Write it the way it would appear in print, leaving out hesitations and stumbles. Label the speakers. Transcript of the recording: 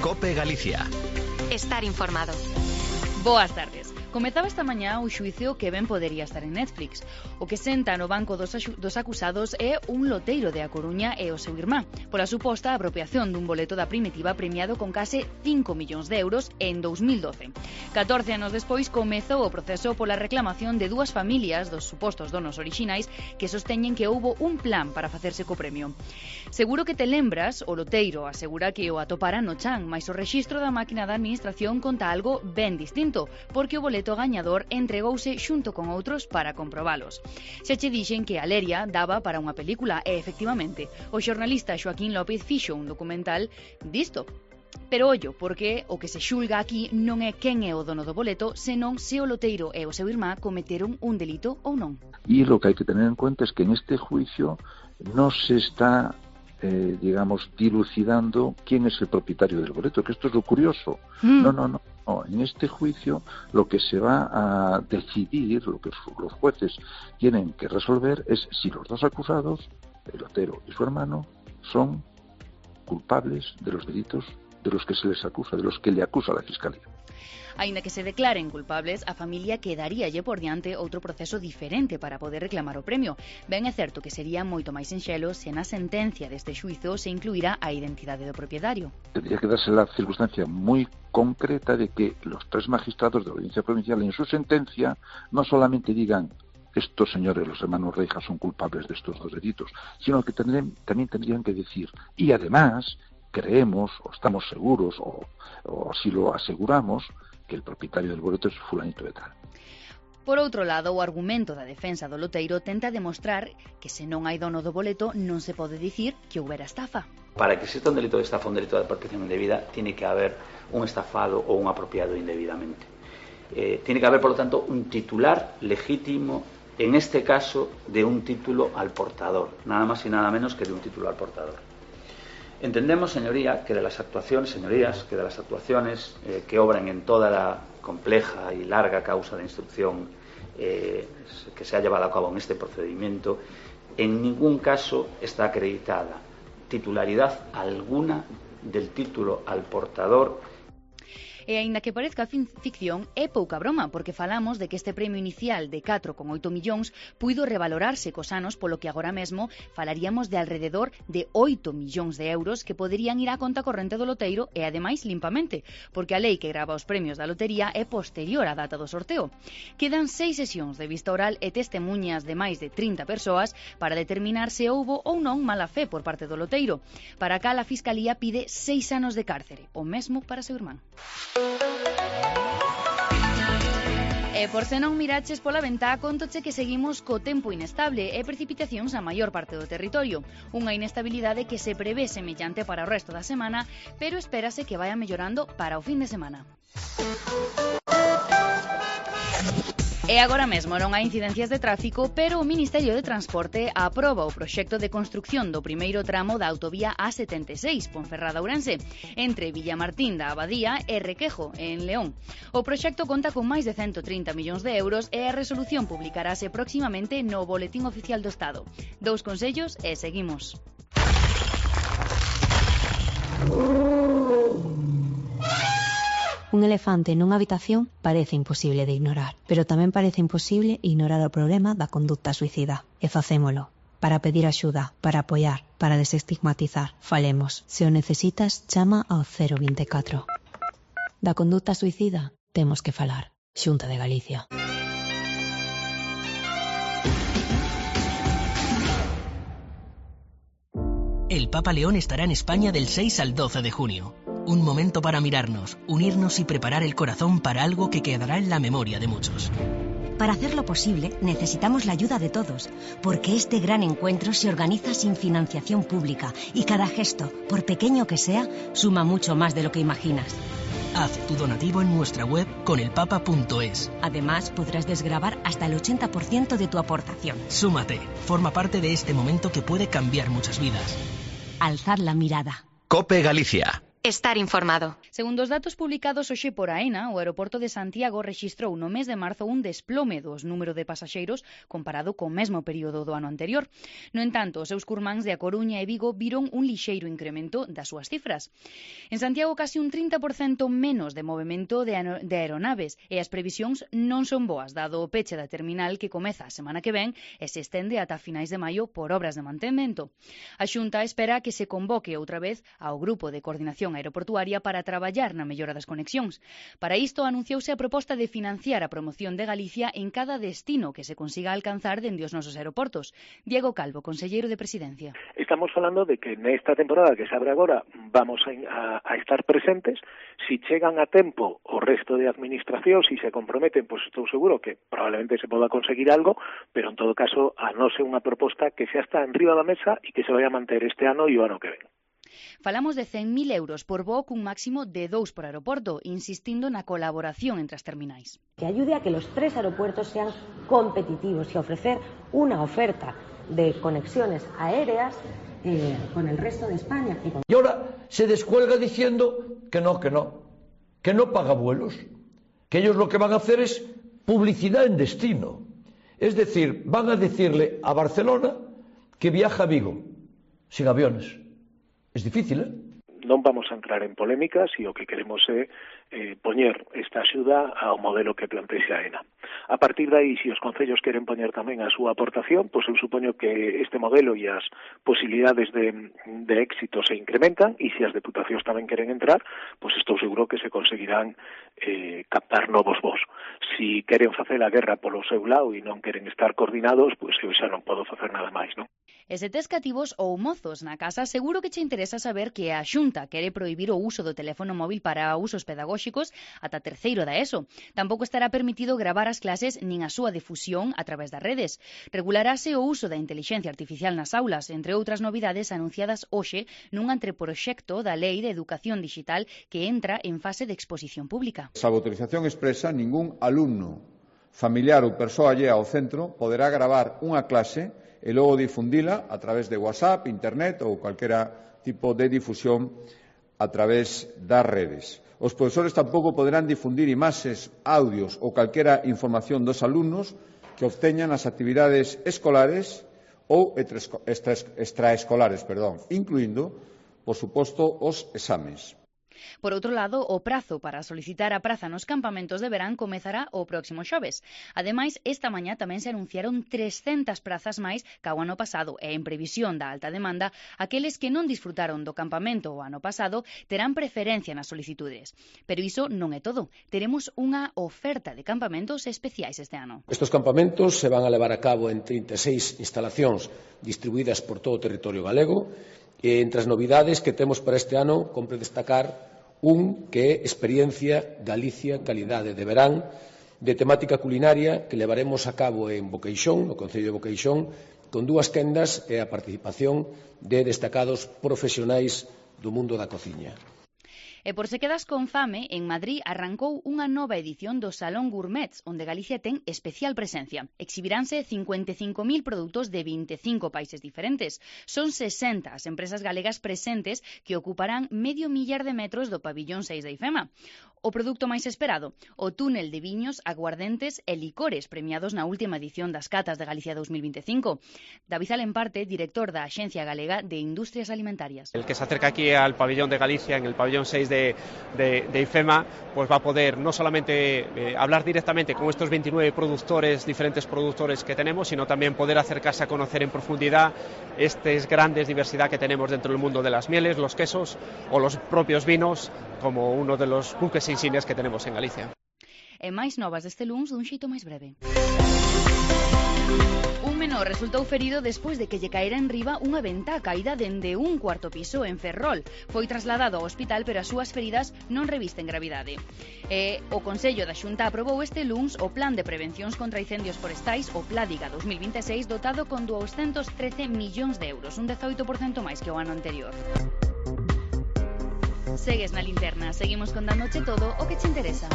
Speaker 1: COPE Galicia.
Speaker 2: Estar informado.
Speaker 3: Boas tardes. Comezaba esta mañá o xuízo que ben podería estar en Netflix. O que senta no banco dos acusados é un loteiro de A Coruña e o seu irmán, pola suposta apropiación dun boleto da Primitiva premiado con case 5 millóns de euros en 2012. 14 anos despois comezou o proceso pola reclamación de dúas familias dos supostos donos orixinais que sosteñen que houbo un plan para facerse co premio. Seguro que te lembras, o loteiro asegura que o atopara no chan, mais o rexistro da máquina da administración conta algo ben distinto, porque o boleto gañador entregouse xunto con outros para comprobalos. Xa che dixen que a leria daba para unha película e, efectivamente, o xornalista Xoaquín López fixo un documental disto. Pero ollo, porque o que se xulga aquí non é quen é o dono do boleto, senón se o loteiro e o seu irmá cometeron un delito ou non.
Speaker 4: Y lo que hay que tener en cuenta es que en este juicio no se está dilucidando quién es el propietario del boleto, que esto es lo curioso. No. En este juicio lo que se va a decidir, lo que los jueces tienen que resolver es si los dos acusados, el lotero y su hermano, son culpables de los delitos de los que se les acusa, de los que le acusa la Fiscalía.
Speaker 3: Aínda que se declaren culpables, a familia quedaríalle por diante outro proceso diferente para poder reclamar o premio. Ben é certo que sería moito máis sinxelo se na sentencia deste xuizo se incluirá a identidade do propietario.
Speaker 4: Tendría que darse la circunstancia muy concreta de que los tres magistrados de la Audiencia Provincial en su sentencia no solamente digan estos señores, los hermanos Reijas, son culpables de estos dos delitos, sino que también tendrían que decir, y además creemos, o estamos seguros, o así lo aseguramos, que el propietario del boleto es fulanito de tal.
Speaker 3: Por outro lado, o argumento da defensa do loteiro tenta demostrar que se non hai dono do boleto non se pode dicir que houbera estafa.
Speaker 5: Para que exista un delito de estafa, un delito de apropiación indebida, tiene que haber un estafado o un apropiado indebidamente. Tiene que haber, por lo tanto, un titular legítimo, en este caso, de un título al portador, nada más y nada menos que de un título al portador. Entendemos, señorías, que de las actuaciones que obran en toda la compleja y larga causa de instrucción que se ha llevado a cabo en este procedimiento, en ningún caso está acreditada titularidad alguna del título al portador.
Speaker 3: E aínda que parezca ficción, é pouca broma, porque falamos de que este premio inicial de 4,8 millóns puido revalorarse cos anos, polo que agora mesmo falaríamos de alrededor de 8 millóns de euros que poderían ir á conta corrente do loteiro e, ademais, limpamente, porque a lei que grava os premios da lotería é posterior á data do sorteo. Quedan 6 sesións de vista oral e testemunhas de máis de 30 persoas para determinar se houbo ou non mala fe por parte do loteiro. Para cal a Fiscalía pide 6 anos de cárcere, o mesmo para seu irmán. E por se non miraches pola ventá, contoche que seguimos co tempo inestable e precipitacións a maior parte do territorio. Unha inestabilidade que se prevé semellante para o resto da semana, pero espérase que vaya mellorando para o fin de semana. E agora mesmo non hai incidencias de tráfico, pero o Ministerio de Transporte aproba o proxecto de construcción do primeiro tramo da autovía A76, Ponferrada-Ourense, entre Villamartín da Abadía e Requejo, en León. O proxecto conta con máis de 130 millóns de euros e a resolución publicarase próximamente no Boletín Oficial do Estado. 2 consellos e seguimos.
Speaker 6: Un elefante nunha habitación parece imposible de ignorar, pero tamén parece imposible ignorar o problema da conducta suicida. E facémolo. Para pedir axuda, para apoiar, para desestigmatizar. Falemos. Se o necesitas, chama ao 024. Da conducta suicida temos que falar. Xunta de Galicia.
Speaker 7: El Papa León estará en España del 6 al 12 de junio. Un momento para mirarnos, unirnos y preparar el corazón para algo que quedará en la memoria de muchos.
Speaker 8: Para hacerlo posible, necesitamos la ayuda de todos, porque este gran encuentro se organiza sin financiación pública y cada gesto, por pequeño que sea, suma mucho más de lo que imaginas.
Speaker 7: Haz tu donativo en nuestra web conelpapa.es.
Speaker 8: Además, podrás desgravar hasta el 80% de tu aportación.
Speaker 7: Súmate, forma parte de este momento que puede cambiar muchas vidas.
Speaker 8: Alzad la mirada.
Speaker 1: COPE Galicia.
Speaker 2: Estar informado.
Speaker 3: Segundo os datos publicados hoxe por AENA, o aeroporto de Santiago rexistrou no mes de marzo un desplome dos número de pasaxeiros comparado co mesmo período do ano anterior. No entanto, os seus curmáns de A Coruña e Vigo viron un lixeiro incremento das súas cifras. En Santiago, casi un 30% menos de movimento de aeronaves e as previsións non son boas, dado o peche da terminal que comeza a semana que ven e se estende ata finais de maio por obras de mantemento. A Xunta espera que se convoque outra vez ao Grupo de Coordinación Aeroportuaria para traballar na mellora das conexións. Para isto, anunciouse a proposta de financiar a promoción de Galicia en cada destino que se consiga alcanzar dende os nosos aeroportos. Diego Calvo, conselleiro de Presidencia.
Speaker 1: Estamos falando de que nesta temporada que se abre agora vamos a estar presentes. Si chegan a tempo o resto de administracións e se comprometen, pois estou seguro que probablemente se poda conseguir algo, pero en todo caso a non ser unha proposta que xa está enriba da mesa e que se vai a manter este ano e o ano que ven.
Speaker 3: Falamos de 100.000 euros por voo cun máximo de 2 por aeroporto, insistindo na colaboración entre as terminais.
Speaker 9: Que ayude a que los 3 aeropuertos sean competitivos y ofrecer una oferta de conexiones aéreas con el resto de España.
Speaker 10: Y ahora se descuelga diciendo que no paga vuelos, que ellos lo que van a hacer es publicidad en destino. Es decir, van a decirle a Barcelona que viaja a Vigo, sin aviones. Es difícil,
Speaker 1: Non vamos a entrar en polémicas e o que queremos é poñer esta axuda ao modelo que plantexa AENA. A partir de aí, se os concellos queren poñer tamén a súa aportación, pois eu supoño que este modelo e as posibilidades de éxito se incrementan, e se as deputacións tamén queren entrar, pois estou seguro que se conseguirán captar novos voos. Si queren facer a guerra polo seu lado e non queren estar coordinados, pois eu xa non podo facer nada máis, non?
Speaker 3: E se tes cativos ou mozos na casa, seguro que che interesa saber que a Xunta quere prohibir o uso do teléfono móvil para usos pedagóxicos ata terceiro da ESO. Tampouco estará permitido gravar as clases nin a súa difusión a través das redes. Regularase o uso da intelixencia artificial nas aulas, entre outras novidades anunciadas hoxe nun anteproxecto da Lei de Educación Digital que entra en fase de exposición pública.
Speaker 11: Salvo autorización expresa, ningún alumno, familiar ou persoa allea ao centro poderá gravar unha clase e logo difundila a través de WhatsApp, Internet ou calquera tipo de difusión a través das redes. Os profesores tampouco poderán difundir imaxes, audios ou calquera información dos alumnos que obteñan as actividades escolares ou extraescolares, incluindo, por suposto, os exames.
Speaker 3: Por outro lado, o prazo para solicitar a praza nos campamentos de verán comezará o próximo xoves. Ademais, esta mañá tamén se anunciaron 300 prazas máis ca o ano pasado e, en previsión da alta demanda, aqueles que non disfrutaron do campamento o ano pasado terán preferencia nas solicitudes. Pero iso non é todo. Teremos unha oferta de campamentos especiais este ano.
Speaker 12: Estos campamentos se van a levar a cabo en 36 instalacións distribuídas por todo o territorio galego. E entre as novidades que temos para este ano, compre destacar que é Experiencia Galicia Calidade de Verán, de temática culinaria que levaremos a cabo en Boqueixón, no Concello de Boqueixón, con 2 tendas e a participación de destacados profesionais do mundo da cociña.
Speaker 3: E por se quedas con fame, en Madrid arrancou unha nova edición do Salón Gourmets, onde Galicia ten especial presencia. Exhibiránse 55.000 produtos de 25 países diferentes. Son 60 as empresas galegas presentes que ocuparán 500.000 de metros do pabillón 6 da IFEMA. O produto máis esperado, o túnel de viños, aguardentes e licores premiados na última edición das Catas de Galicia 2025. David Alemparte, director da Axencia Galega de Industrias Alimentarias.
Speaker 13: El que se acerca aquí al pabellón de Galicia, en el pabellón 6 de IFEMA, pues va a poder no solamente hablar directamente con estos 29 diferentes productores que tenemos, sino también poder acercarse a conocer en profundidad estas grandes diversidad que tenemos dentro del mundo de las mieles, los quesos o los propios vinos, como uno de los buques insignias que tenemos en Galicia.
Speaker 3: E máis novas deste luns dun xeito máis breve. Un menor resultou ferido despois de que lle caera en riba unha ventá caída dende un cuarto piso en Ferrol. Foi trasladado ao hospital, pero as súas feridas non revisten gravidade. O Consello da Xunta aprobou este luns o Plan de Prevencións contra Incendios Forestais, o Pládiga 2026, dotado con 213 millóns de euros, un 18% máis que o ano anterior. Segues na linterna, seguimos contándoche todo o que te interesa.